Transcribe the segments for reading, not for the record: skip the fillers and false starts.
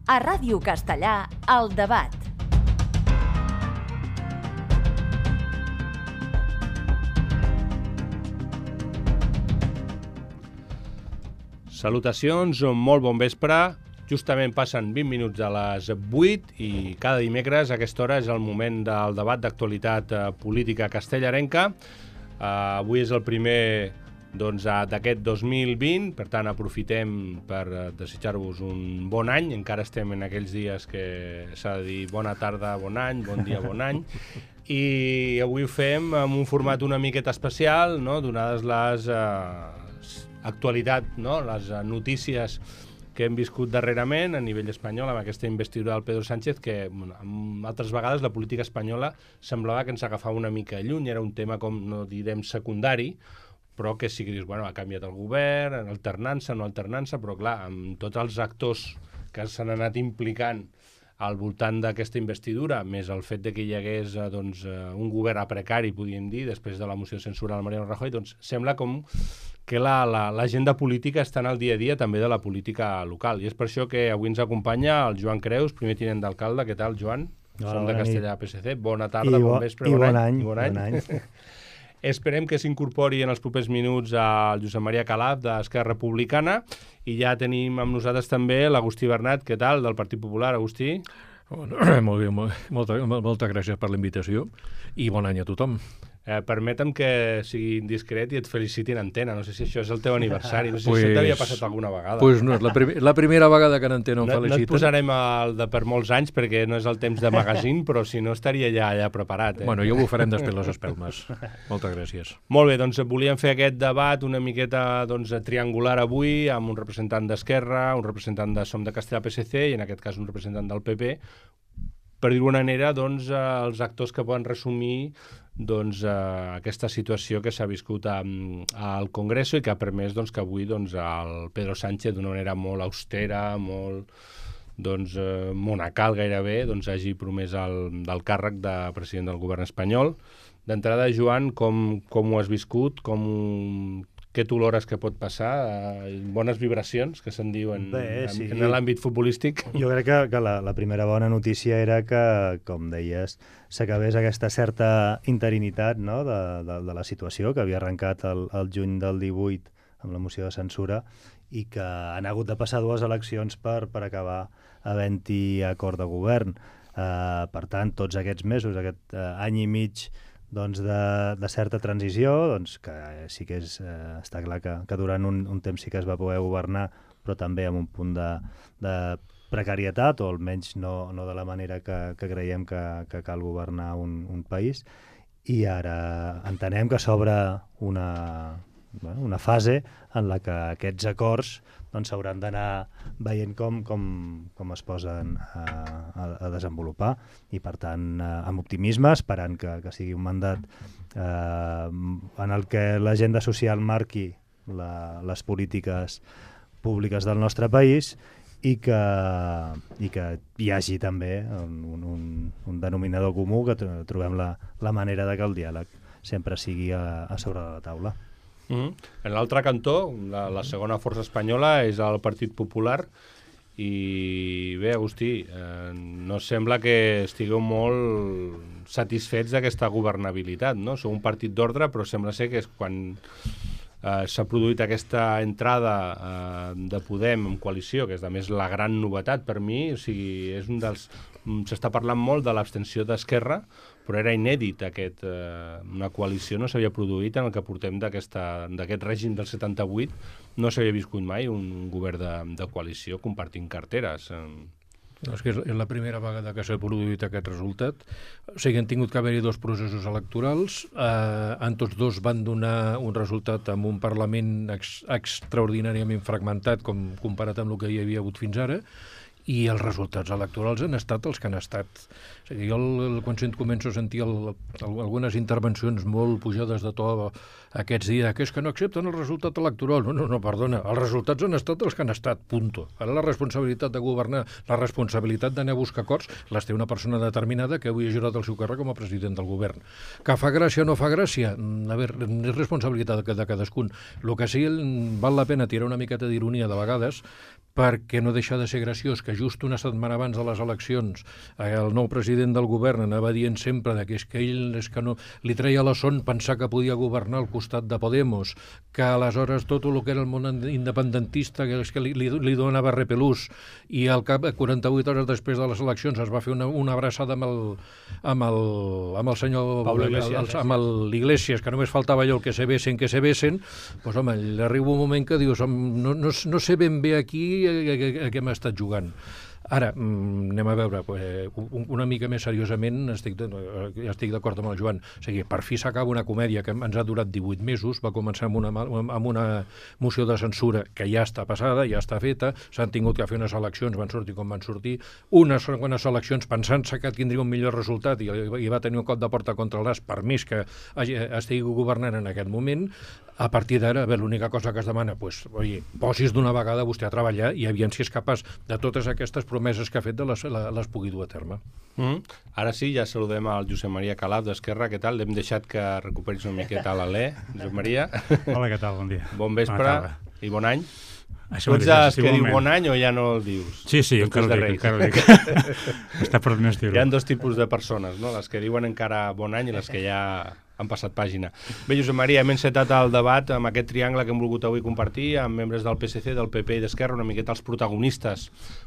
A Ràdio Castellà, El Debat. Salutacions, molt bon vespre. Justament passen 20 minuts a les 8 i cada dimecres a aquesta hora és el moment del debat d'actualitat política castellarenca. Avui és el primer d'aquest 2020, per tant aprofitem per desitjar-vos un bon any. Encara estem en aquells dies que s'ha de dir bona tarda, bon any, bon dia, bon any. I avui ho fem amb un format una miqueta especial, no? Donades les actualitat, no? Les notícies que hem viscut darrerament a nivell espanyol amb aquesta investidura del Pedro Sánchez, que altres vegades la política espanyola semblava que ens agafava una mica lluny, era un tema com, no direm secundari, però que sí que dius, bueno, ha canviat el govern, alternança, no alternança, però clar, amb tots els actors que s'han anat implicant al voltant d'aquesta investidura, més el fet de que hi hagués un govern a precari, podríem dir, després de la moció de censura del Mariano Rajoy, doncs sembla com que l'agenda política està en el dia a dia també de la política local. I és per això que avui ens acompanya el Joan Creus, primer tinent d'alcalde. Què tal, Joan? Som de Castellà PSC. Bona tarda, bon vespre, bon any. Bon any. Esperem que s'incorpori en els propers minuts el Josep Maria Calaf, d'Esquerra Republicana, i ja tenim amb nosaltres també l'Agustí Bernat. Què tal, del Partit Popular, Agustí? Molt bé, moltes gràcies per la invitació i bon any a tothom. Permetem que sigui indiscret i et feliciti en antena. No sé si això és el teu aniversari. No sé si això t'havia passat alguna vegada. Doncs no, és la primera vegada que en antena em feliciten. No et posarem el de per molts anys perquè no és el temps de magazine, però si no estaria ja allà preparat. Bueno, ja ho farem després les espelmes. Moltes gràcies. Molt bé, doncs volíem fer aquest debat una miqueta triangular avui, amb un representant d'Esquerra, un representant de Som de Castellà PSC i en aquest cas un representant del PP, per dir-ho d'una manera, els actors que poden resumir aquesta situació que s'ha viscut al Congreso i que ha permès que avui el Pedro Sánchez, d'una manera molt austera, molt monacal gairebé, hagi promès el càrrec de president del govern espanyol. D'entrada, Joan, com ho has viscut? Què t'olores que pot passar? Bones vibracions, que se'n diuen en l'àmbit futbolístic? Jo crec que la primera bona notícia era que, com deies, s'acabés aquesta certa interinitat, no?, de la situació que havia arrencat el juny del 18 amb la moció de censura i que han hagut de passar 2 eleccions per acabar havent-hi acord de govern. Per tant, tots aquests mesos, aquest any i mig de certa transició, que sí que està clar que durant un temps sí que es va poder governar, però també amb un punt de precarietat, o almenys no de la manera que creiem que cal governar un país. I ara entenem que s'obre una fase en la que aquests acords s'hauran d'anar veient com es posen a desenvolupar i, per tant, amb optimisme, esperant que sigui un mandat en el que l'agenda social marqui les polítiques públiques del nostre país i que hi hagi també un denominador comú, que trobem la manera de que el diàleg sempre sigui a sobre de la taula. En l'altre cantó, la segona força espanyola és el Partit Popular i bé, Agustí, no sembla que estigueu molt satisfets d'aquesta governabilitat, no? Sou un partit d'ordre, però sembla ser que és quan s'ha produït aquesta entrada de Podem en coalició, que és a més la gran novetat per mi, o sigui, és s'està parlant molt de l'abstenció d'Esquerra, però era inèdit una coalició, no s'havia produït en el que portem d'aquest règim del 78, no s'havia viscut mai un govern de coalició compartint carteres. No, és que és la primera vegada que s'ha produït aquest resultat. O sigui, han tingut que haver-hi 2 processos electorals, en tots 2 van donar un resultat amb un Parlament extraordinàriament fragmentat comparat amb el que hi havia hagut fins ara, i els resultats electorals han estat els que han estat. O sigui, jo quan començo a sentir algunes intervencions molt pujades de to aquests dies, que és que no accepten el resultat electoral. No, perdona, els resultats han estat els que han estat, punto. Ara la responsabilitat de governar, la responsabilitat d'anar a buscar acords, les té una persona determinada que avui ha jurat el seu càrrec com a president del govern. Que fa gràcia o no fa gràcia? A veure, és responsabilitat de cadascun. El que sí val la pena tirar una miqueta d'ironia de vegades, perquè no deixa de ser graciós que just una setmana abans de les eleccions el nou president del govern anava dient sempre que és que ell no, li treia la son pensar que podia governar al costat de Podemos, que aleshores tot el que era el món independentista que és que li donava repelús, i al cap 48 hores després de les eleccions es va fer una abraçada amb el senyor Pablo Iglesias, amb l'Iglesias, que només faltava allò el que se besen, doncs home, arriba un moment que dius no sé ben bé aquí a què m'ha estat jugant. Ara, anem a veure, una mica més seriosament, estic d'acord amb el Joan. O sigui, per fi s'acaba una comèdia que ens ha durat 18 mesos, va començar amb una moció de censura que ja està passada, ja està feta, s'han tingut que fer unes eleccions, van sortir com van sortir, unes eleccions pensant-se que tindria un millor resultat i va tenir un cop de porta contra el nas, per més que estigui governant en aquest moment. A partir d'ara, l'única cosa que es demana, posis d'una vegada vostè a treballar i aviam si és capaç de totes aquestes promeses que ha fet de les pugui dur a terme. Ara sí, ja saludem al Josep Maria Calaf d'Esquerra. Què tal? L'hem deixat que recuperis una miqueta l'alè. Josep Maria. Hola, què tal? Bon dia. Bon vespre i bon any. Això tu ets els que diu bon any o ja no el dius? Sí, encara ho dic. Està per més dir-ho. Hi ha dos tipus de persones, no? Les que diuen encara bon any i les que ja han passat pàgina. Bé, Josep Maria, hem encetat el debat amb aquest triangle que hem volgut avui compartir amb membres del PSC, del PP i d'Esquerra, una miqueta els protagonistes,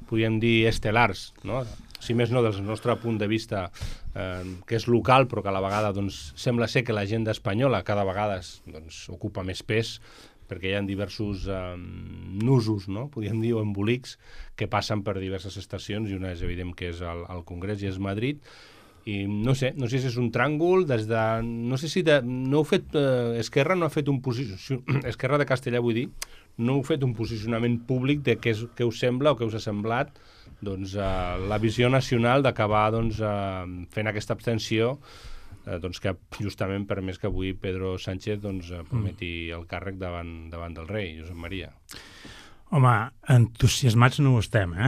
podríem dir estel·lars, no? Si més no, des del nostre punt de vista, que és local, però que a la vegada sembla ser que l'agenda espanyola cada vegada ocupa més pes, perquè hi ha diversos nusos, no? Podríem dir, o embolics, que passen per diverses estacions, i una és evident que és el Congrés i és Madrid. I no sé si és un tràngol no sé si Esquerra no ha fet un posicionament, Esquerra de Castellà vull dir, no heu fet un posicionament públic de què us sembla o què us ha semblat la visió nacional d'acabar fent aquesta abstenció que justament per més que avui Pedro Sánchez prometi el càrrec davant del rei, Josep Maria. Home, entusiasmats no ho estem,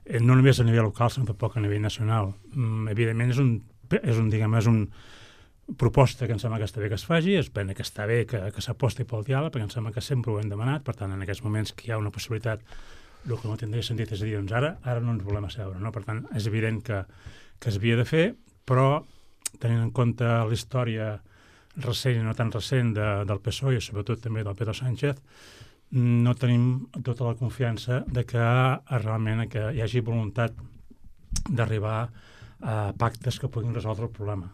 no només a nivell local, sinó tampoc a nivell nacional. Evidentment és una proposta que em sembla que està bé que es faci, és pena que està bé que s'aposti pel diàleg, perquè em sembla que sempre ho hem demanat, per tant, en aquests moments que hi ha una possibilitat, el que no tindria sentit és a dir, ara no ens volem asseure, no? Per tant, és evident que es havia de fer, però tenint en compte la història recent i no tan recent del PSOE i sobretot també del Pedro Sánchez, no tenim tota la confiança de que realment hi hagi voluntat d'arribar a pactes que puguin resoldre el problema.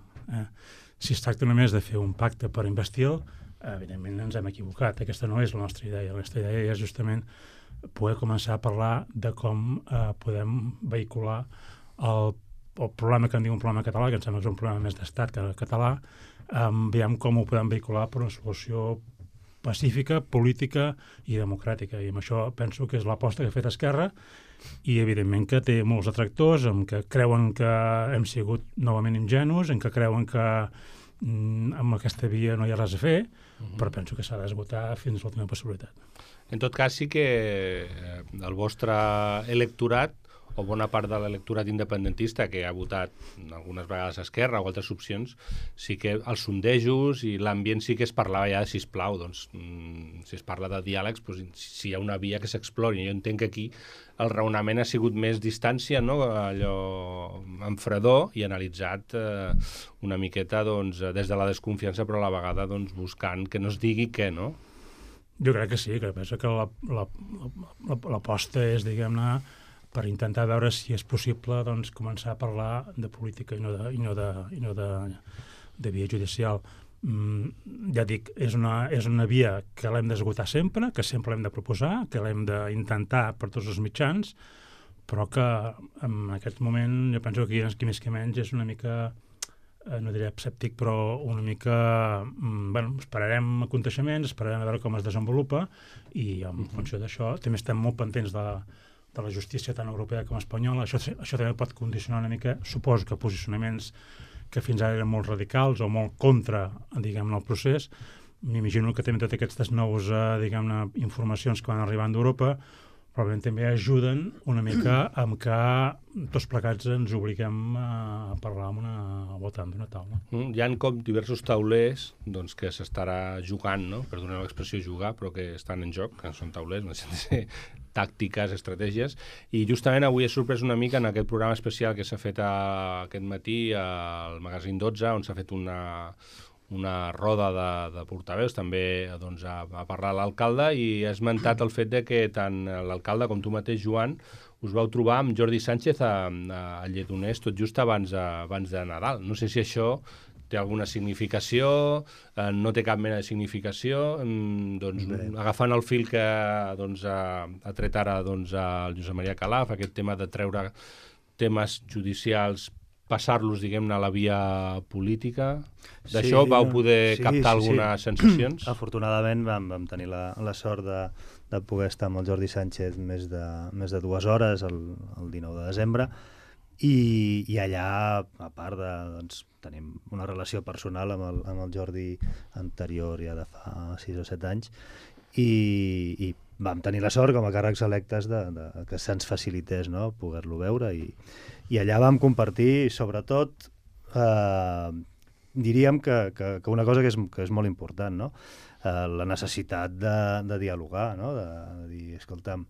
Si es tracta només de fer un pacte per investir-lo, evidentment ens hem equivocat. Aquesta no és la nostra idea. La nostra idea és justament poder començar a parlar de com podem vehicular el problema que en diu un problema català, que em sembla que és un problema més d'estat que català, veiem com ho podem vehicular per una solució pacífica, política i democràtica. I amb això penso que és l'aposta que ha fet Esquerra i, evidentment, que té molts detractors, en què creuen que hem sigut novament ingenus, en què creuen que amb aquesta via no hi ha res a fer, però penso que s'ha d'esgotar fins a l'última possibilitat. En tot cas, sí que el vostre electorat o bona part de l'electorat independentista que ha votat algunes vegades a Esquerra o altres opcions, sí que els sondejos i l'ambient sí que es parlava ja de sisplau, si es parla de diàlegs, si hi ha una via que s'explori. Jo entenc que aquí el raonament ha sigut més distància, no? Allò amb fredor i analitzat una miqueta des de la desconfiança, però a la vegada buscant que no es digui què, no? Jo crec que sí, que penso que l'aposta és, diguem-ne, per intentar veure si és possible començar a parlar de política i no de via judicial. Ja dic, és una via que l'hem d'esgotar sempre, que sempre l'hem de proposar, que l'hem d'intentar per tots els mitjans, però que en aquest moment jo penso que aquí més que menys és una mica, no diré escèptic, però una mica, esperarem aconteixements, esperarem a veure com es desenvolupa i en funció d'això també estem molt pendents de la justícia tant europea com espanyola. Això també pot condicionar una mica, suposo que posicionaments que fins ara eren molt radicals o molt contra, diguem-ne, el procés. M'imagino que també totes aquestes noves, diguem-ne, informacions que van arribant d'Europa probablement també ajuden una mica amb que tots plegats ens obliguem a parlar al voltant d'una taula. Hi ha com diversos taulers que s'estarà jugant, no? Per donar l'expressió jugar, però que estan en joc, que són taulers, no sé tàctiques, estratègies, i justament avui he sorprès una mica en aquest programa especial que s'ha fet aquest matí al Magazín 12, on s'ha fet una roda de portaveus, també doncs, a parlar l'alcalde, i ha esmentat el fet de que tant l'alcalde com tu mateix, Joan, us vau trobar amb Jordi Sánchez a Lledoners tot just abans de Nadal. No sé si això té alguna significació, no té cap mena de significació, doncs, agafant el fil que doncs, ha tret ara doncs, el Josep Maria Calaf, aquest tema de treure temes judicials, passar-los, diguem-ne, a la via política. D'això vau poder captar algunes sensacions? Afortunadament vam tenir la sort de poder estar amb el Jordi Sánchez més de 2 hores el 19 de desembre, i allà, a part de... Doncs, tenim una relació personal amb el Jordi anterior, ja de fa 6 o 7 anys, i vam tenir la sort, com a càrrecs electes, que se'ns facilités, no?, poder-lo veure, i allà vam compartir, sobretot, diríem que una cosa que és molt important, no?, la necessitat de dialogar, no?, de dir, escolta'm,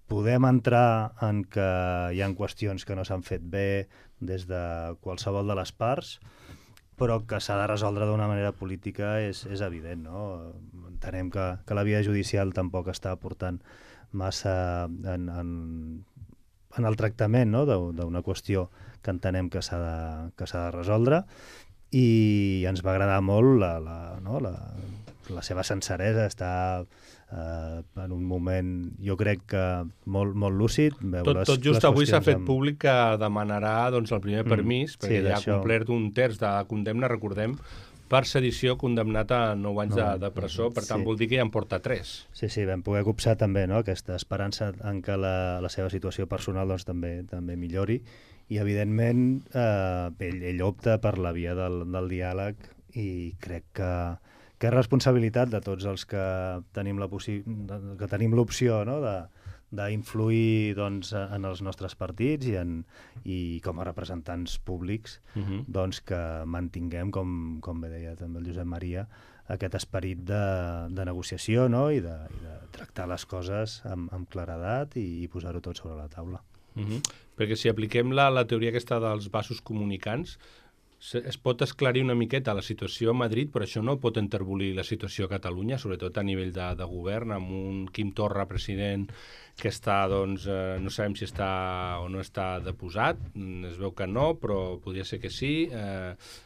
podem entrar en que hi ha qüestions que no s'han fet bé des de qualsevol de les parts, però que s'ha de resoldre d'una manera política és evident, no? Entenem que la via judicial tampoc està aportant massa en el tractament, no?, d'una qüestió que entenem que s'ha de resoldre, i ens va agradar molt la seva senceresa, està en un moment, jo crec que molt lúcid. Tot just avui s'ha fet públic que demanarà doncs, el primer permís, perquè ja ha complert 1/3 de condemna, recordem, per sedició, condemnat a 9 anys de presó, per tant vol dir que ja en porta 3. Sí, vam poder copsar també, no?, aquesta esperança en què la seva situació personal doncs, també millori, i evidentment ell opta per la via del diàleg, i crec que és responsabilitat de tots els que tenim l'opció, no?, d'influir doncs, en els nostres partits i com a representants públics, doncs, que mantinguem, com bé deia també el Josep Maria, aquest esperit de negociació, no?, i de tractar les coses amb claredat i posar-ho tot sobre la taula. Perquè si apliquem la teoria aquesta dels vasos comunicants, es pot esclarir una miqueta la situació a Madrid, però això no pot enterbolir la situació a Catalunya, sobretot a nivell de govern, amb un Quim Torra president que està, doncs, no sabem si està o no està deposat, es veu que no, però podria ser que sí.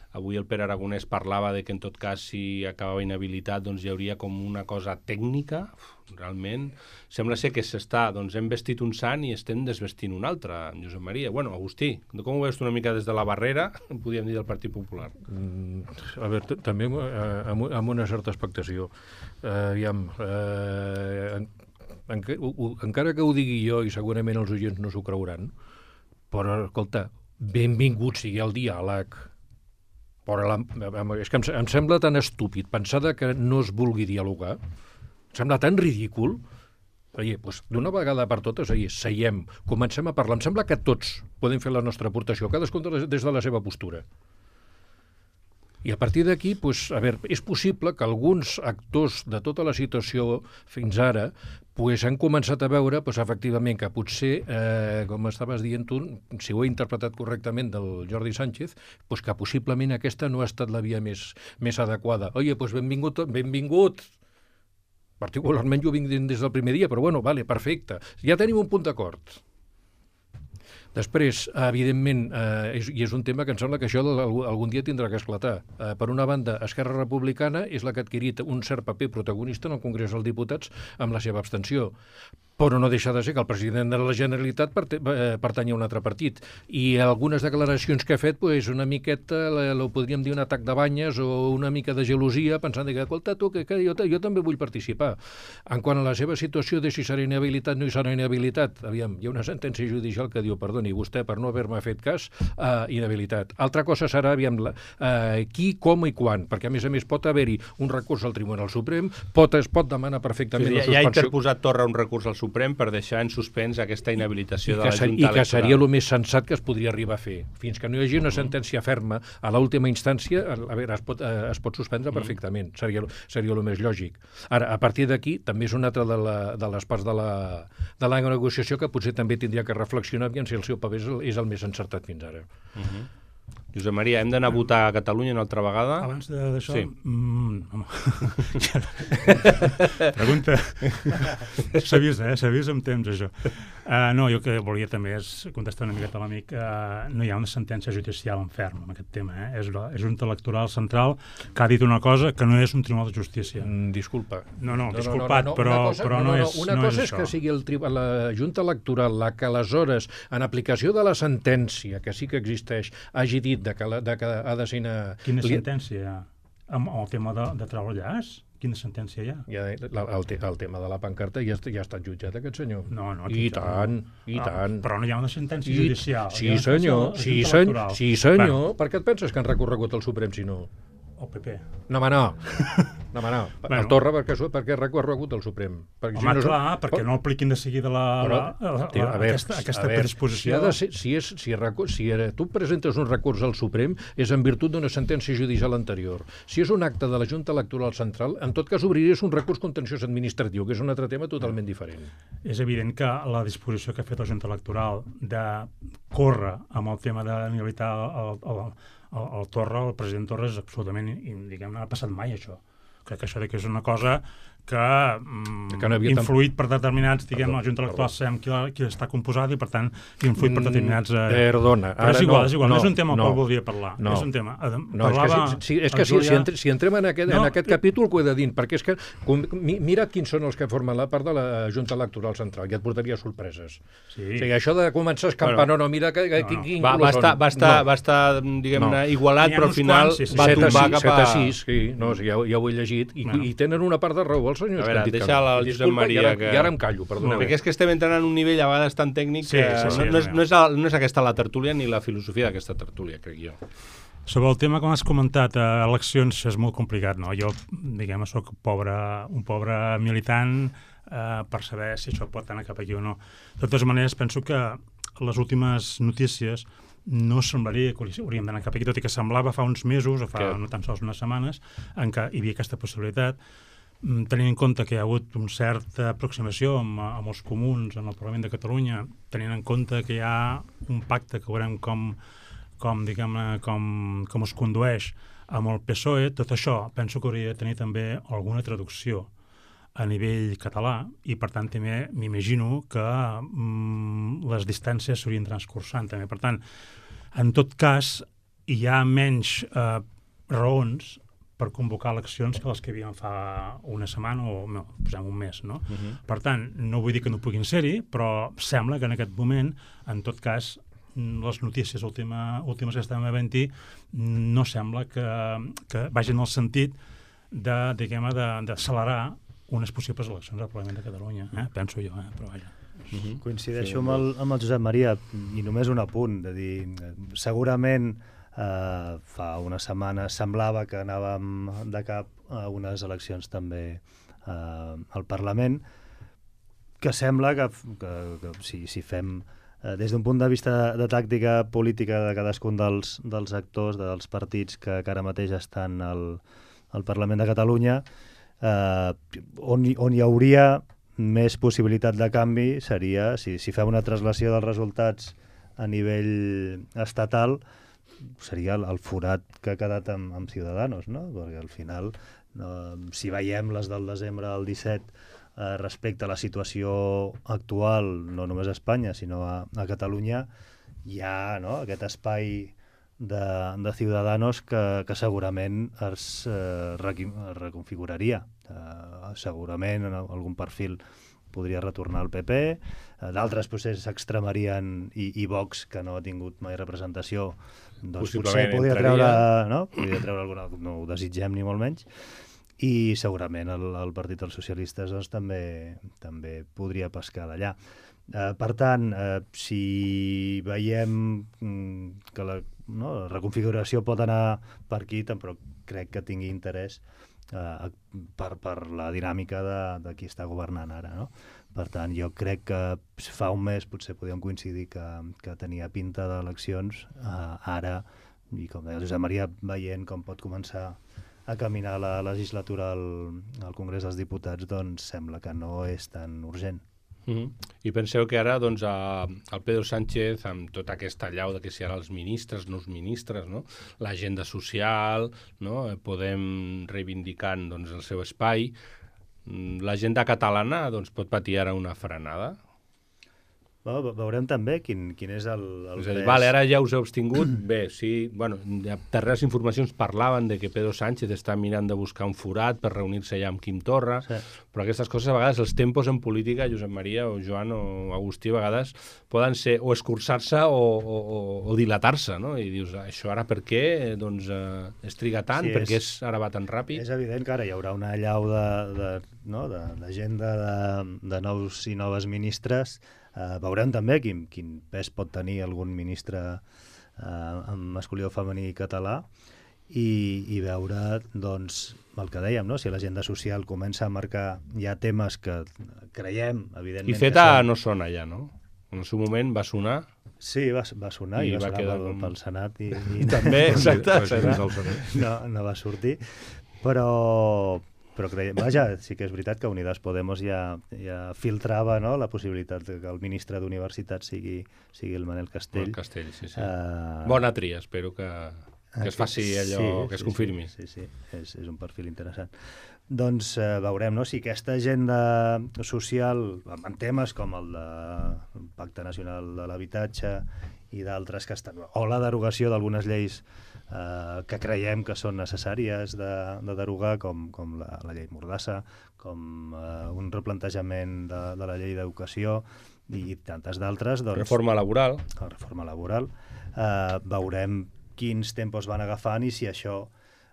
Avui el Pere Aragonès parlava de que en tot cas si acabava inhabilitat doncs hi hauria com una cosa tècnica. Realment sembla ser que hem vestit un sant i estem desvestint un altre, Josep Maria. Bueno, Agustí, com ho veus tu una mica des de la barrera, podríem dir, del Partit Popular? A veure, també amb una certa expectació. Aviam, encara que ho digui jo i segurament els oients no s'ho creuran, però, escolta, benvingut sigui el diàleg. És que em sembla tan estúpid pensar que no es vulgui dialogar. Em sembla tan ridícul. Doncs d'una vegada per totes, seiem, comencem a parlar. Em sembla que tots podem fer la nostra aportació, cadascun des de la seva postura. I a partir d'aquí, és possible que alguns actors de tota la situació fins ara han començat a veure, efectivament, que potser, com estaves dient tu, si ho he interpretat correctament del Jordi Sánchez, que possiblement aquesta no ha estat la via més adequada. Benvingut! Particularment jo vinc des del primer dia, però vale, perfecte. Ja tenim un punt d'acord. Després, evidentment, i és un tema que em sembla que això algun dia tindrà que esclatar. Per una banda, Esquerra Republicana és la que ha adquirit un cert paper protagonista en el Congrés dels Diputats amb la seva abstenció. Però no deixa de ser que el president de la Generalitat pertany a un altre partit. I algunes declaracions que ha fet, una miqueta, ho podríem dir un atac de banyes o una mica de gelosia, pensant que, escolta, tu, que jo també vull participar. En quant a la seva situació de si serà inhabilitat o no hi serà inhabilitat, aviam, hi ha una sentència judicial que diu, perdoni, vostè per no haver-me fet cas, inhabilitat. Altra cosa serà, aviam, qui, com i quan, perquè a més pot haver-hi un recurs al Tribunal Suprem, es pot demanar perfectament la suspensió. Ja ha interposat Torra un recurs al Suprem Suprem per deixar en suspens aquesta inhabilitació de la Junta Electoral. I que seria el Electoral. més sensat que es podria arribar a fer. Fins que no hi hagi una sentència ferma a l'última instància, a veure, es pot suspendre perfectament. Seria el més lògic. Ara, a partir d'aquí, també és una altra de les parts de la negociació que potser també tindria que reflexionar si el seu paper és el més encertat fins ara. Josep Maria, hem d'anar a votar a Catalunya una altra vegada? Abans d'això... Sí. Home. Pregunta. S'ha vist amb temps, això. No, jo que volia també és contestar una miqueta a l'amic. No hi ha una sentència judicial en ferm en aquest tema. És la Junta Electoral Central que ha dit una cosa que no és un tribunal de justícia. Disculpa. No, disculpat, però no és això. Una cosa és que sigui la Junta Electoral la que aleshores, en aplicació de la sentència, que sí que existeix, hagi dit que ha de ser... Quina sentència hi ha? Amb el tema de treure el llaç? Quina sentència hi ha? El tema de la pancarta ja ha estat jutjat, aquest senyor. No, I tant. Però no hi ha una sentència judicial. Sí, senyor. Per què et penses que han recorregut al Suprem, si no? El PP. No. El Torra, per què ha recorregut al Suprem? Perquè no apliquin de seguida aquesta predisposició. Si tu presentes un recurs al Suprem és en virtut d'una sentència judicial anterior. Si és un acte de la Junta Electoral Central, en tot cas obriries un recurs contenciós administratiu, que és un altre tema totalment diferent. És evident que la disposició que ha fet la Junta Electoral de córrer amb el tema d'inhabilitar el Torra, el president Torra, és absolutament, diguem, no ha passat mai això. Crec que això és una cosa que ha influït per determinats, diguem, la Junta Electoral sabem qui està composada i, per tant, influït per determinats... Perdona. Però és igual, no és un tema al qual voldria parlar. És un tema... Si entrem en aquest capítol, ho he de dir, perquè és que mira't quins són els que formen la part de la Junta Electoral Central, i et portaria sorpreses. O sigui, això de començar a escampar, mira quin color són. Va estar, diguem-ne, igualat, però al final va tombar cap a... 7-6, sí, ja ho he llegit, i tenen una part de raó els senyors. A veure, deixa el Josep Maria. I ara em callo, perdoneu. Perquè és que estem entrant en un nivell a vegades tan tècnic que no és aquesta la tertúlia ni la filosofia d'aquesta tertúlia, crec jo. Sobre el tema que m'has comentat, eleccions, és molt complicat, no? Jo, diguem, soc un pobre militant per saber si això pot anar cap aquí o no. De totes maneres, penso que les últimes notícies no semblaria que hauríem d'anar cap aquí, tot i que semblava fa uns mesos, o fa no tan sols unes setmanes, en què hi havia aquesta possibilitat, tenint en compte que hi ha hagut una certa aproximació amb els comuns en el Parlament de Catalunya, tenint en compte que hi ha un pacte que veurem com es condueix amb el PSOE, tot això penso que hauria de tenir també alguna traducció a nivell català i, per tant, també m'imagino que les distàncies s'haurien transcursant també. Per tant, en tot cas, hi ha menys raons per convocar eleccions que les que havíem fa una setmana o no, posem un mes, no? Per tant, no vull dir que no puguin ser-hi, però sembla que en aquest moment, en tot cas, les notícies últimes que estem havent-hi no sembla que vagin en el sentit d'accelerar unes possibles eleccions al Parlament de Catalunya, penso jo, però vaja. Coincideixo amb el Josep Maria, i només un apunt, de dir, segurament fa una setmana semblava que anàvem de cap a unes eleccions també al Parlament, que sembla que si fem des d'un punt de vista de tàctica política de cadascun dels actors, dels partits que ara mateix estan al Parlament de Catalunya, on hi hauria més possibilitat de canvi seria, si fem una traslació dels resultats a nivell estatal, seria el forat que ha quedat amb Ciudadanos, no? Perquè al final, si veiem les del desembre del 17 respecte a la situació actual, no només a Espanya, sinó a Catalunya, hi ha aquest espai de Ciudadanos que segurament es reconfiguraria. Segurament en algun perfil podria retornar al PP, d'altres potser s'extremarien i Vox, que no ha tingut mai representació, doncs potser podria treure alguna, no ho desitgem ni molt menys, i segurament el Partit dels Socialistes doncs, també podria pescar d'allà. Per tant, si veiem que la reconfiguració pot anar per aquí, però crec que tingui interès per la dinàmica de qui està governant ara, no? Per tant, jo crec que fa un mes potser podíem coincidir que tenia pinta d'eleccions, ara, i com deia el Josep Maria, veient com pot començar a caminar la legislatura al Congrés dels Diputats, doncs sembla que no és tan urgent. I penseu que ara doncs, el Pedro Sánchez, amb tota aquesta allau de que si ara els ministres, no els ministres, no? L'agenda social, no? Podem reivindicant doncs, el seu espai, l'agenda catalana doncs, pot patir ara una frenada? Veurem també quin és el és a dir, vale, ara ja us heu abstingut. Bé, sí, bueno, darreres informacions parlaven de que Pedro Sánchez està mirant de buscar un forat per reunir-se allà amb Quim Torra, sí. Però aquestes coses a vegades, els tempos en política, Josep Maria o Joan o Agustí, a vegades poden ser o escurçar-se o dilatar-se, no? I dius, això ara per què doncs, es triga tant? Sí, per què ara va tan ràpid? És evident que ara hi haurà una allau d'agenda de nous i noves ministres. Veurem també quin pes pot tenir algun ministre amb masculí o femení català i veure doncs, el que dèiem, no? Si l'agenda social comença a marcar ja temes que creiem, evidentment... I CETA no sona ja, no? En el seu moment va sonar... Sí, va sonar i va sonar pel Senat. I també, exacte. No va sortir, però creiem, vaja, sí que és veritat que Unidas Podemos ja filtrava, no?, la possibilitat que el ministre d'Universitat sigui el Manel Castell. El Castell, sí. Bona tria, espero que es faci allò, que es confirmi. Sí, és un perfil interessant. Doncs veurem, no?, si aquesta agenda social, en temes com el del Pacte Nacional de l'Habitatge i d'altres que estan... o la derogació d'algunes lleis que creiem que són necessàries de derogar, com la llei Mordassa, com un replantejament de la llei d'educació i tantes d'altres. Doncs, reforma laboral. La reforma laboral. Veurem quins tempos van agafant i si això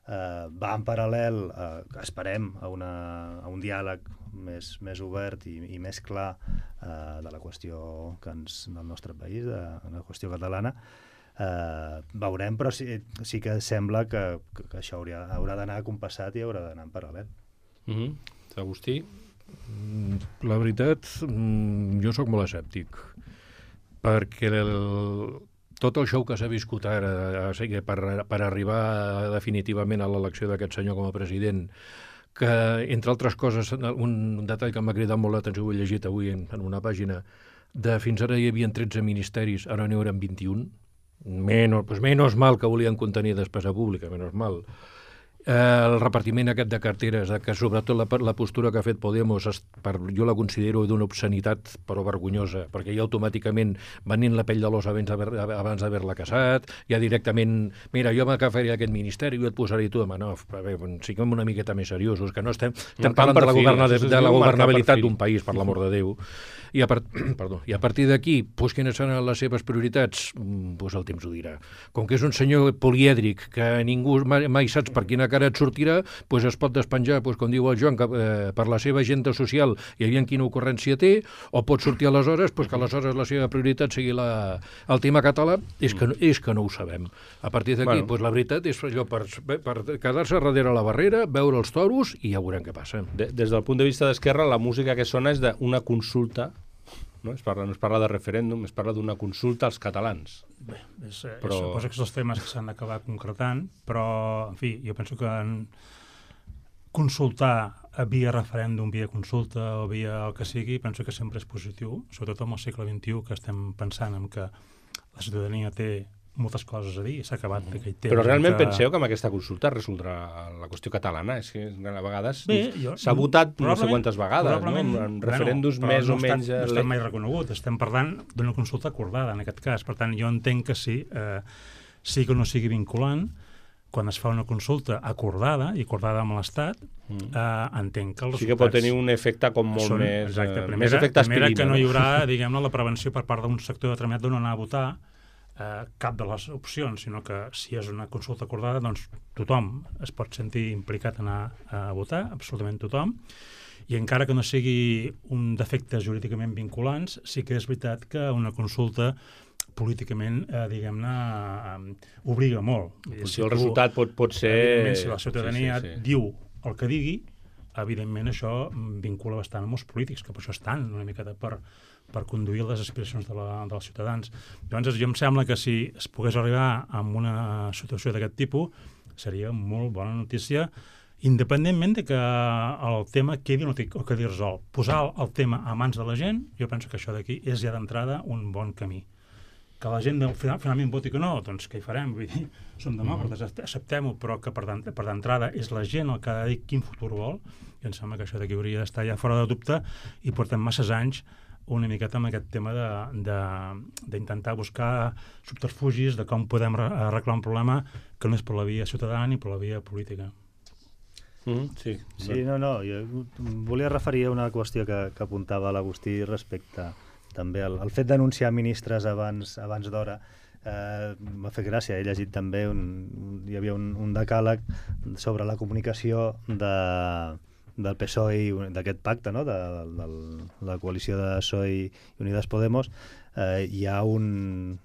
va en paral·lel, esperem, a un diàleg més obert i més clar de la qüestió del nostre país, de la qüestió catalana. Veurem, però sí que sembla que això haurà d'anar compassat i haurà d'anar en paral·lel. Agustí? La veritat, jo sóc molt escèptic, perquè tot el show que s'ha viscut ara per arribar definitivament a l'elecció d'aquest senyor com a president, que, entre altres coses, un detall que m'ha cridat molt l'atenció, ho he llegit avui en una pàgina, de fins ara hi havia 13 ministeris, ara n'hi hauran 21, menos mal que volien contenir despesa pública, menos mal. El repartiment aquest de carteres, que sobretot la postura que ha fet Podemos, jo la considero d'una obscenitat però vergonyosa, perquè ja automàticament venint la pell de l'os abans d'haver-la casat, ja directament, mira, jo m'agafaré aquest ministeri i et posaré tu, home, no, siguem una miqueta més seriosos, que no estem parlant de la governabilitat d'un país, per l'amor de Déu. I a partir d'aquí, quines seran les seves prioritats? El temps ho dirà. Com que és un senyor polièdric, que ningú mai saps per quina cara et sortirà, es pot despenjar, com diu el Joan, per la seva agenda social i aviam quina ocurrència té, o pot sortir aleshores que aleshores la seva prioritat sigui el tema català. És que no ho sabem. A partir d'aquí, la veritat és allò per quedar-se darrere la barrera, veure els toros i ja veurem què passa. Des del punt de vista d'Esquerra, la música que sona és d'una consulta. No es parla de referèndum, es parla d'una consulta als catalans. Bé, suposo que són els temes que s'han d'acabar concretant, però, en fi, jo penso que consultar via referèndum, via consulta o via el que sigui, penso que sempre és positiu, sobretot en el segle XXI, que estem pensant en que la ciutadania té moltes coses a dir, s'ha acabat aquell temps. Però realment penseu que amb aquesta consulta resoldrà la qüestió catalana? És que a vegades s'ha votat no sé quantes vegades, no? En referèndums més o menys... No està mai reconegut, estem parlant d'una consulta acordada en aquest cas, per tant jo entenc que sí que no sigui vinculant, quan es fa una consulta acordada i acordada amb l'Estat, entenc que els resultats... Sí que pot tenir un efecte com molt més... Exacte, més efecte aspirina. Primera que no hi haurà, diguem-ne, la prevenció per part d'un sector determinat de no anar a votar cap de les opcions, sinó que si és una consulta acordada, doncs tothom es pot sentir implicat en anar a votar, absolutament tothom, i encara que no sigui un defecte jurídicament vinculants, sí que és veritat que una consulta políticament, diguem-ne, obliga molt. Si el resultat pot ser... Si la ciutadania diu el que digui, evidentment això vincula bastant amb els polítics, que per això estan una miqueta per conduir les aspiracions dels ciutadans. Llavors, jo em sembla que si es pogués arribar a una situació d'aquest tipus, seria molt bona notícia, independentment de que el tema quedi o quedi resolt. Posar el tema a mans de la gent, jo penso que això d'aquí és ja d'entrada un bon camí. Que la gent finalment voti que no, doncs què hi farem? Vull dir, som demòcrates, acceptem-ho, però que per d'entrada és la gent el que ha de dir quin futur vol, i em sembla que això d'aquí hauria d'estar ja fora de dubte, i portem masses anys una miqueta amb aquest tema d'intentar buscar subterfugis de com podem arreglar un problema que no és per la via ciutadana ni per la via política. Sí, no, jo volia referir a una qüestió que apuntava l'Agustí respecte també al fet d'anunciar ministres abans d'hora. M'ha fet gràcia, he llegit també, hi havia un decàleg sobre la comunicació del PSOE i d'aquest pacte, no? de la coalició de PSOE i Unidas Podemos. Hi ha un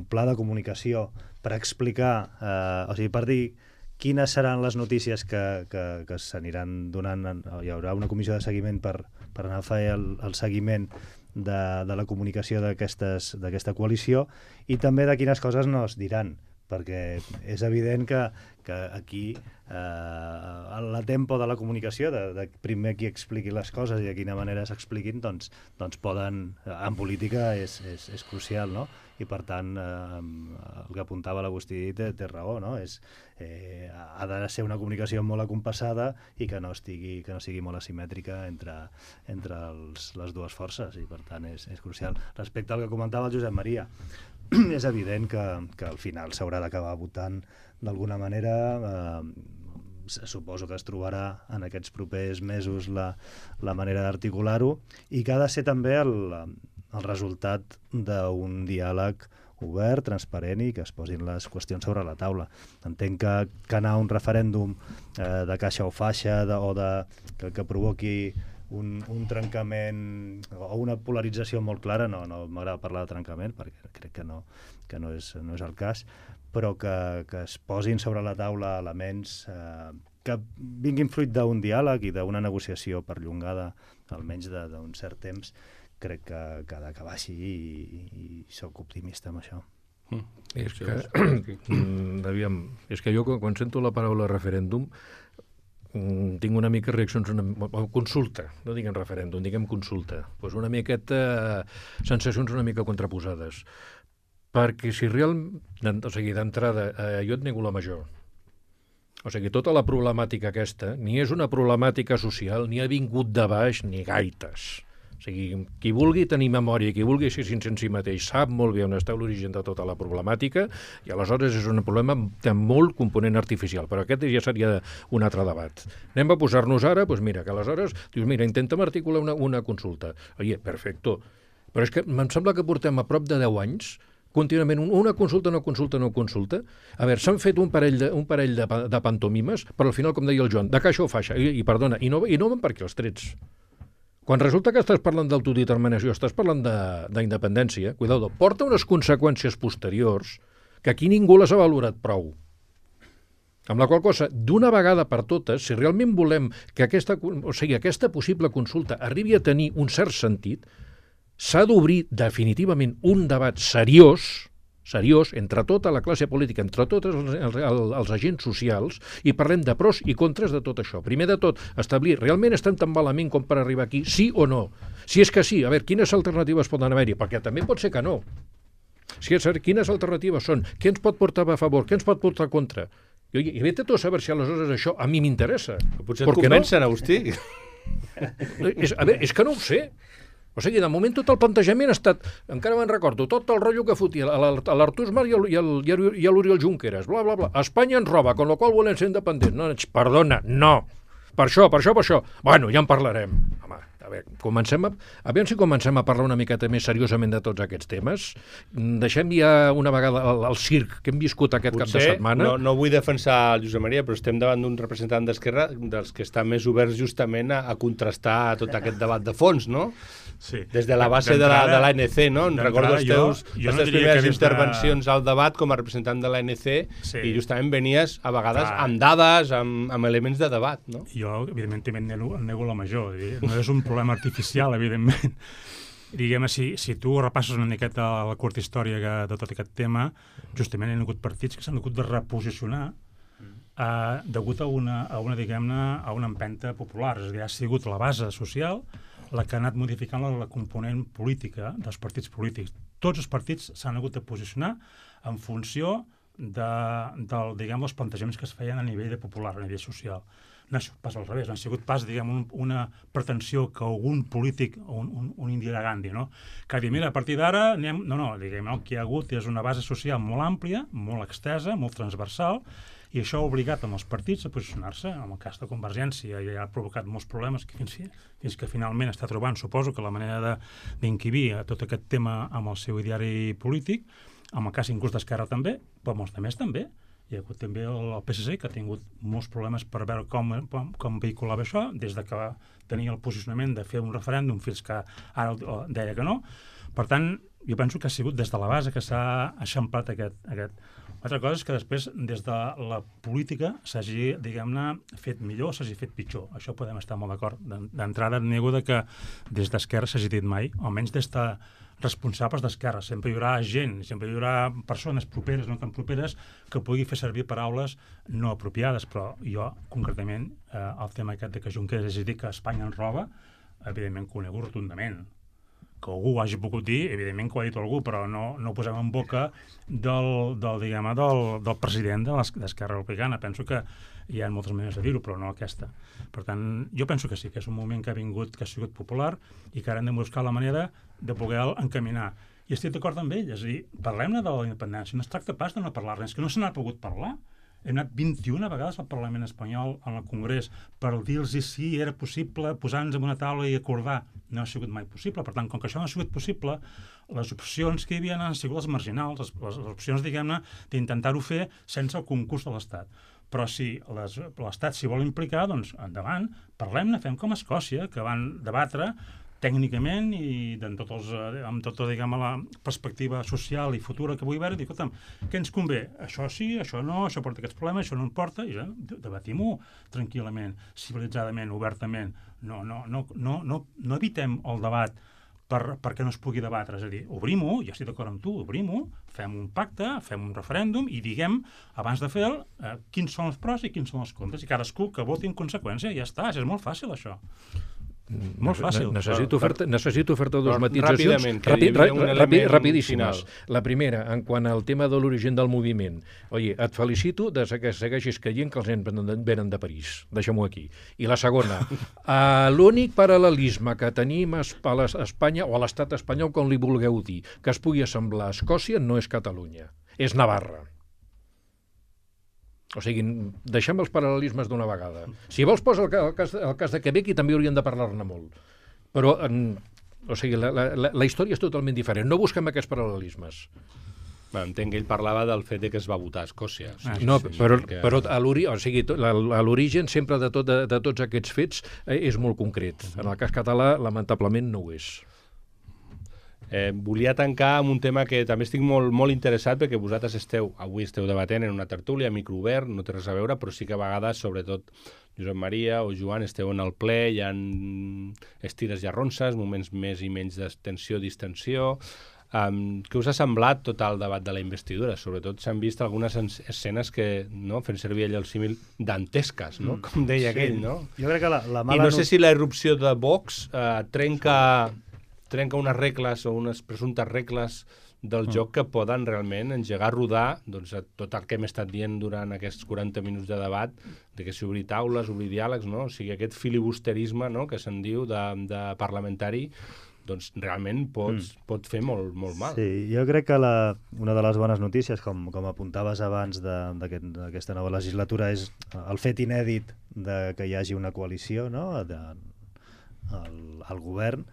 pla de comunicació per explicar, o sigui, per dir quines seran les notícies que s'aniran donant. Hi haurà una comissió de seguiment per anar a fer el seguiment de la comunicació d'aquesta coalició i també de quines coses no es diran, perquè és evident que aquí la tempo de la comunicació, de primer qui expliqui les coses i de quina manera s'expliquin, doncs poden, en política és crucial, no? I per tant el que apuntava l'Agustí té raó, no? Ha de ser una comunicació molt acompassada i que no sigui molt asimètrica entre les dues forces, i per tant és crucial. Respecte al que comentava el Josep Maria, és evident que al final s'haurà d'acabar votant d'alguna manera. Suposo que es trobarà en aquests propers mesos la manera d'articular-ho, i que ha de ser també el resultat d'un diàleg obert, transparent, i que es posin les qüestions sobre la taula. Entenc que anar a un referèndum de caixa o faixa que provoqui un trencament o una polarització molt clara, no m'agrada parlar de trencament perquè crec que no és el cas, però que es posin sobre la taula elements que vinguin fruit d'un diàleg i d'una negociació perllongada, almenys d'un cert temps. Crec que ha d'acabar així i sóc optimista amb això. És que jo quan sento la paraula referèndum tinc una mica reaccions, consulta, no diguem referèndum, diguem consulta, doncs una miqueta sensacions una mica contraposades, perquè si realment, o sigui, d'entrada, jo et nego la major. O sigui, tota la problemàtica aquesta ni és una problemàtica social, ni ha vingut de baix, ni gaites. O sigui, qui vulgui tenir memòria, qui vulgui ser sincer en si mateix, sap molt bé on està l'origen de tota la problemàtica, i aleshores és un problema de molt component artificial, però aquest ja seria un altre debat. Anem a posar-nos ara, doncs mira, que aleshores dius, mira, intentem articular una consulta. Oye, perfecto. Però és que em sembla que portem a prop de 10 anys contínuament una consulta, no consulta, no consulta. A veure, s'han fet un parell de pantomimes, però al final, com deia el Joan, de caixa o faixa, i perdona, i no van per aquí els trets. Quan resulta que estàs parlant d'autodeterminació, estàs parlant d'independència, cuidado, porta unes conseqüències posteriors que aquí ningú les ha valorat prou. Amb la qual cosa, d'una vegada per totes, si realment volem que aquesta possible consulta arribi a tenir un cert sentit, s'ha d'obrir definitivament un debat seriós entre tota la classe política, entre tots els agents socials, i parlem de pros i contres de tot això. Primer de tot, establir, realment estem tan malament com per arribar aquí, sí o no? Si és que sí, a veure, quines alternatives poden haver-hi? Perquè també pot ser que no. Quines alternatives són? Què ens pot portar a favor? Què ens pot portar a contra? I vete tu a saber si aleshores això a mi m'interessa. Potser et convencen, Agustí. A veure, és que no ho sé. O sigui, de moment tot el plantejament ha estat, encara me'n recordo, tot el rotllo que fotia l'Artur Mas i l'Oriol Junqueras, bla, bla, bla. Espanya ens roba, con lo qual volem ser independents. No, perdona, no. Per això. Bueno, ja en parlarem. Home, A veure, aviam si comencem a parlar una miqueta més seriosament de tots aquests temes. Deixem ja una vegada el circ que hem viscut aquest cap de setmana. No vull defensar el Josep Maria, però estem davant d'un representant d'Esquerra dels que estan més oberts justament a contrastar tot aquest debat de fons, no? Sí. Des de la base de l'ANC, no? Recordo les teves primeres intervencions al debat com a representant de l'ANC i justament venies a vegades amb dades, amb elements de debat, no? Jo, evidentment, també nego la major. No és un problema artificial, evidentment. Diguem, si tu repasses una miqueta la curta història de tot aquest tema, justament hi ha hagut partits que s'han hagut de reposicionar degut a una diguem-ne, a una empenta popular. És a dir, ha sigut la base social la que ha anat modificant la component política dels partits polítics. Tots els partits s'han hagut de posicionar en funció dels plantejaments que es feien a nivell popular, a nivell social. No ha sigut pas al revés, no ha sigut pas, diguem, una pretensió que algun polític, un Indira Gandhi, no? Que ha dit, mira, a partir d'ara anem... No, diguem, el que hi ha hagut és una base social molt àmplia, molt extensa, molt transversal, i això ha obligat els partits a posicionar-se. En el cas de Convergència ja ha provocat molts problemes fins que finalment està trobant, suposo, que la manera d'inquibir a tot aquest tema amb el seu ideari polític, en el cas inclús d'Esquerra també, però molts altres també. Hi ha hagut també el PSC, que ha tingut molts problemes per veure com vehiculava això, des de que tenia el posicionament de fer un referèndum fins que ara deia que no. Per tant, jo penso que ha sigut des de la base que s'ha eixamplat aquest. Altra cosa és que després, des de la política, s'hagi, diguem-ne, fet millor o s'hagi fet pitjor. Això podem estar molt d'acord. D'entrada, nego que des d'Esquerra s'hagi dit mai, almenys des de responsables d'Esquerra. Sempre hi haurà gent, sempre hi haurà persones properes, no tan properes, que pugui fer servir paraules no apropiades, però jo, concretament, el tema aquest de que Junqueras hagi dit que Espanya ens roba, evidentment que ho nego rotundament. Que algú ho hagi pogut dir, evidentment que ho ha dit algú, però no ho posem en boca del president d'Esquerra Republicana. Penso que hi ha moltes maneres de dir-ho, però no aquesta. Per tant, jo penso que sí, que és un moment que ha vingut, que ha sigut popular i que ara hem de buscar la manera de poder encaminar. I estic d'acord amb ell, és a dir, parlem-ne de la independència, no es tracta pas de no parlar-ne, és que no se n'ha pogut parlar. Hem anat 21 vegades al Parlament espanyol, al Congrés, per dir-los si era possible posar-nos en una taula i acordar. No ha sigut mai possible. Per tant, com que això no ha sigut possible, les opcions que hi havia han sigut les marginals, les opcions, diguem-ne, d'intentar-ho fer sense el concurs de l'Estat. Però si l'Estat s'hi vol implicar, doncs endavant, parlem-ne, fem com a Escòcia, que van debatre tècnicament i amb tota, diguem, la perspectiva social i futura que vull veure, dic, escolta'm, què ens convé? Això sí, això no, això porta aquests problemes, això no en porta, i ja, debatim-ho tranquil·lament, civilitzadament, obertament. No evitem el debat perquè no es pugui debatre, és a dir, obrim-ho, ja estic d'acord amb tu, obrim-ho, fem un pacte, fem un referèndum i diguem, abans de fer-lo, quins són els pros i quins són els contres, i cadascú que voti en conseqüència, ja està, és molt fàcil això. Molt fàcil. Necessito fer-te dues matitzacions rapidíssimes. La primera, en quant al tema de l'origen del moviment. Oye, et felicito de que segueixis caient que els nens venen de París. Deixem-ho aquí. I la segona, l'únic paral·lelisme que tenim a Espanya o a l'estat espanyol, com li vulgueu dir, que es pugui assemblar a Escòcia, no és Catalunya, és Navarra. O sigui, deixem els paral·lelismes d'una vegada. Si vols, posa el cas de Quebec i també hauríem de parlar-ne molt. Però, o sigui, la història és totalment diferent. No busquem aquests paral·lelismes. Entenc que ell parlava del fet que es va votar a Escòcia. No, però l'origen sempre de tots aquests fets és molt concret. En el cas català, lamentablement, no ho és. Volia tancar amb un tema que també estic molt interessat perquè vosaltres avui esteu debatent en una tertúlia, micro obert, no té res a veure, però sí que a vegades, sobretot Josep Maria o Joan, esteu en el ple, hi ha estires i arronses, moments més i menys de tensió, distensió. Què us ha semblat tot el debat de la investidura? Sobretot s'han vist algunes escenes que, no, fent servir allò el símil dantesques, no? Com deia aquell, no? Jo crec que la mala... I no sé si la irrupció de Vox trenca unes regles o unes presumptes regles del joc que poden realment engegar a rodar tot el que hem estat dient durant aquests 40 minuts de debat, de que s'obri taules, obrir diàlegs, no? O sigui, aquest filibusterisme, no?, que se'n diu de parlamentari, doncs realment pot fer molt mal. Sí, jo crec que una de les bones notícies, com apuntaves abans d'aquesta nova legislatura, és el fet inèdit de que hi hagi una coalició, no?, al govern,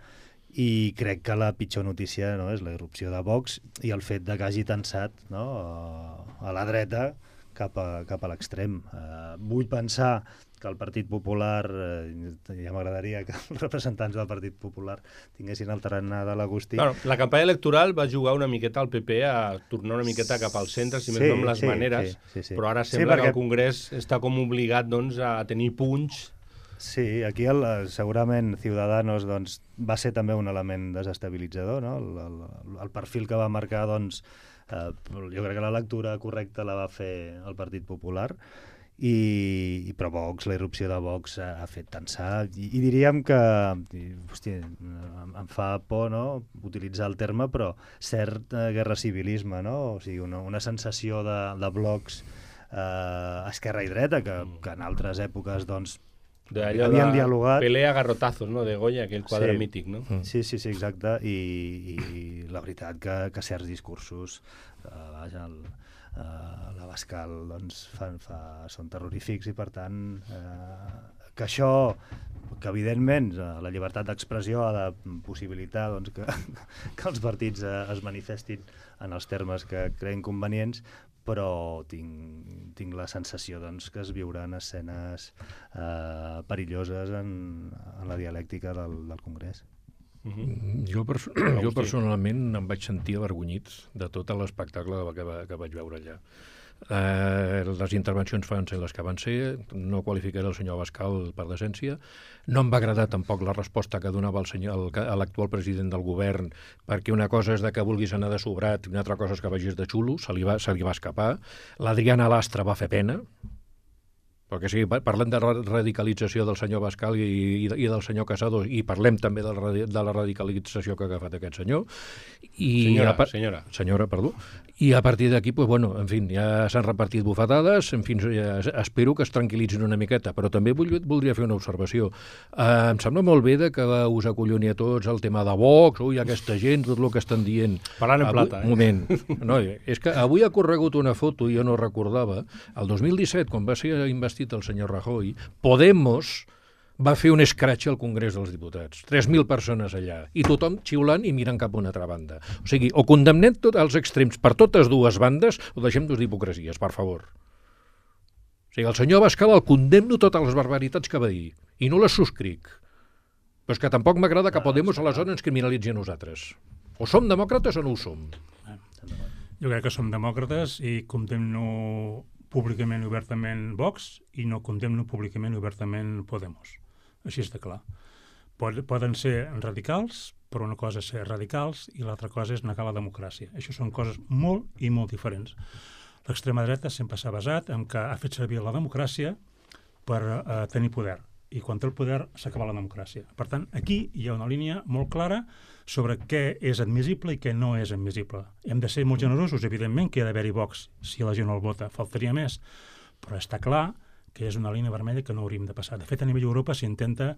i crec que la pitjor notícia, no, és la irrupció de Vox i el fet de que hagi tensat, no, a la dreta cap a l'extrem. Vull pensar que el Partit Popular, ja m'agradaria que els representants del Partit Popular tinguessin el tarannà de l'Agustí. Bueno, la campanya electoral va jugar una miqueta al PP a tornar una miqueta cap al centre, si més no amb les maneres, sí. però ara sembla que el Congrés està com obligat, doncs, a tenir punys. Sí, aquí segurament Ciudadanos, doncs, va ser també un element desestabilitzador, no? El perfil que va marcar, doncs, jo crec que la lectura correcta la va fer el Partit Popular, però Vox, la irrupció de Vox ha fet tensar, i diríem que, hòstia, em fa por, no?, utilitzar el terme, però cert guerra civilisme, no? O sigui, una sensació de blocs esquerra i dreta, que en altres èpoques, doncs, havien dialogat. Pelea a garrotazos, no?, de Goya, aquell quadre mític, no? Sí, exacte, i la veritat que certs discursos, vaja, l'Abascal, doncs, són terrorífics, i per tant que això, que evidentment la llibertat d'expressió ha de possibilitar, doncs, que els partits es manifestin en els termes que creien convenients, però tinc la sensació, doncs, que es viuran escenes perilloses en la dialèctica del Congrés. Jo personalment em vaig sentir avergonyit de tot l'espectacle que vaig veure allà. Les intervencions van ser les que van ser, no qualificaré el senyor Abascal per decència, no em va agradar tampoc la resposta que donava l'actual president del govern, perquè una cosa és que vulguis anar de sobrat i una altra cosa és que vagis de xulo, se li va escapar. L'Adriana Lastra va fer pena, perquè sí, parlem de radicalització del senyor Abascal i del senyor Casado, i parlem també de la radicalització que ha agafat aquest senyor. Senyora, perdó. I a partir d'aquí, pues, bueno, en fi, ja s'han repartit bufetades, en fi, espero que es tranquil·litzin una miqueta, però també voldria fer una observació. Em sembla molt bé que us acolloni a tots el tema de Vox, ui, aquesta gent, tot el que estan dient. Parlant en plata, Un moment. No, és que avui ha corregut una foto, jo no recordava, el 2017, quan va ser investit el senyor Rajoy, Podemos va fer un escratx al Congrés dels Diputats. 3.000 persones allà, i tothom xiulant i mirant cap a una altra banda. O sigui, o condemnem tots els extrems per totes dues bandes, o deixem d'hipocresies, per favor. O sigui, el senyor Abascal el condemno totes les barbaritats que va dir, i no les subscric. Però és que tampoc m'agrada que Podemos aleshores ens criminalitzi a nosaltres. O som demòcrates o no ho som. Jo crec que som demòcrates i condemno públicament i obertament Vox, i no condemno públicament i obertament Podemos. Així és de clar. Poden ser radicals, però una cosa és ser radicals i l'altra cosa és negar la democràcia. Això són coses molt i molt diferents. L'extrema dreta sempre s'ha basat en que ha fet servir la democràcia per tenir poder, i quan té el poder s'acaba la democràcia. Per tant, aquí hi ha una línia molt clara sobre què és admissible i què no és admissible. Hem de ser molt generosos, evidentment, que hi ha d'haver-hi Vox si la gent el vota, faltaria més, però està clar que és una línia vermella que no hauríem de passar. De fet, a nivell d'Europa s'intenta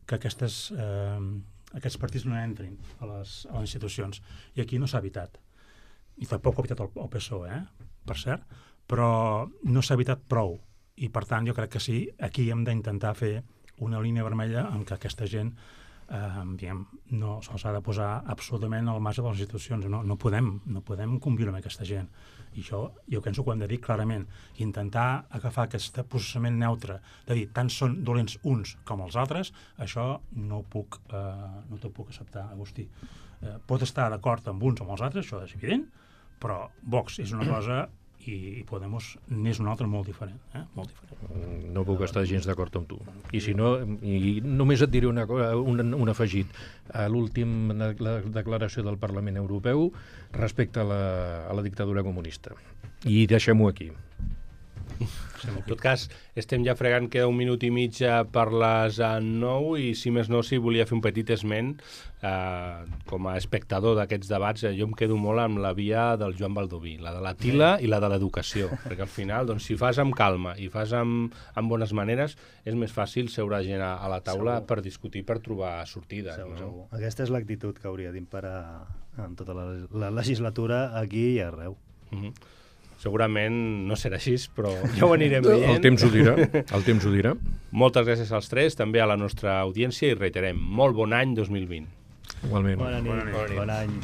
que aquests partits no entrin a les institucions, i aquí no s'ha evitat. I tampoc ho ha evitat el PSOE, per cert, però no s'ha evitat prou, i per tant jo crec que sí, aquí hem d'intentar fer una línia vermella en què aquesta gent no se'ls ha de posar absolutament al marge de les institucions. No podem conviure amb aquesta gent. I això jo penso que ho hem de dir clarament. Intentar agafar aquest posicionament neutre, de dir tant són dolents uns com els altres, això no t'ho puc acceptar, Agustí. Pot estar d'acord amb uns o amb els altres, això és evident, però Vox és una cosa i Podemos n'és una altra molt diferent. Molt diferent. No puc estar gens d'acord amb tu. I si no, només et diré un afegit. A l'última declaració del Parlament Europeu respecte a la dictadura comunista. I deixem-ho aquí. En tot cas, estem ja fregant, queda 1 minut i mig per les 9, i si més no, si volia fer un petit esment com a espectador d'aquests debats, jo em quedo molt amb la via del Joan Baldoví, la de la tila i la de l'educació, perquè al final, doncs, si fas amb calma i fas amb bones maneres, és més fàcil seure gent a la taula per discutir, per trobar sortides. Segur. Aquesta és l'actitud que hauria d'imperar en tota la legislatura, aquí i arreu. segurament no serà així, però ja ho anirem veient. El temps ho dirà. Moltes gràcies als tres, també a la nostra audiència, i reiterem, molt bon any 2020. Igualment. Bona nit. Bon any.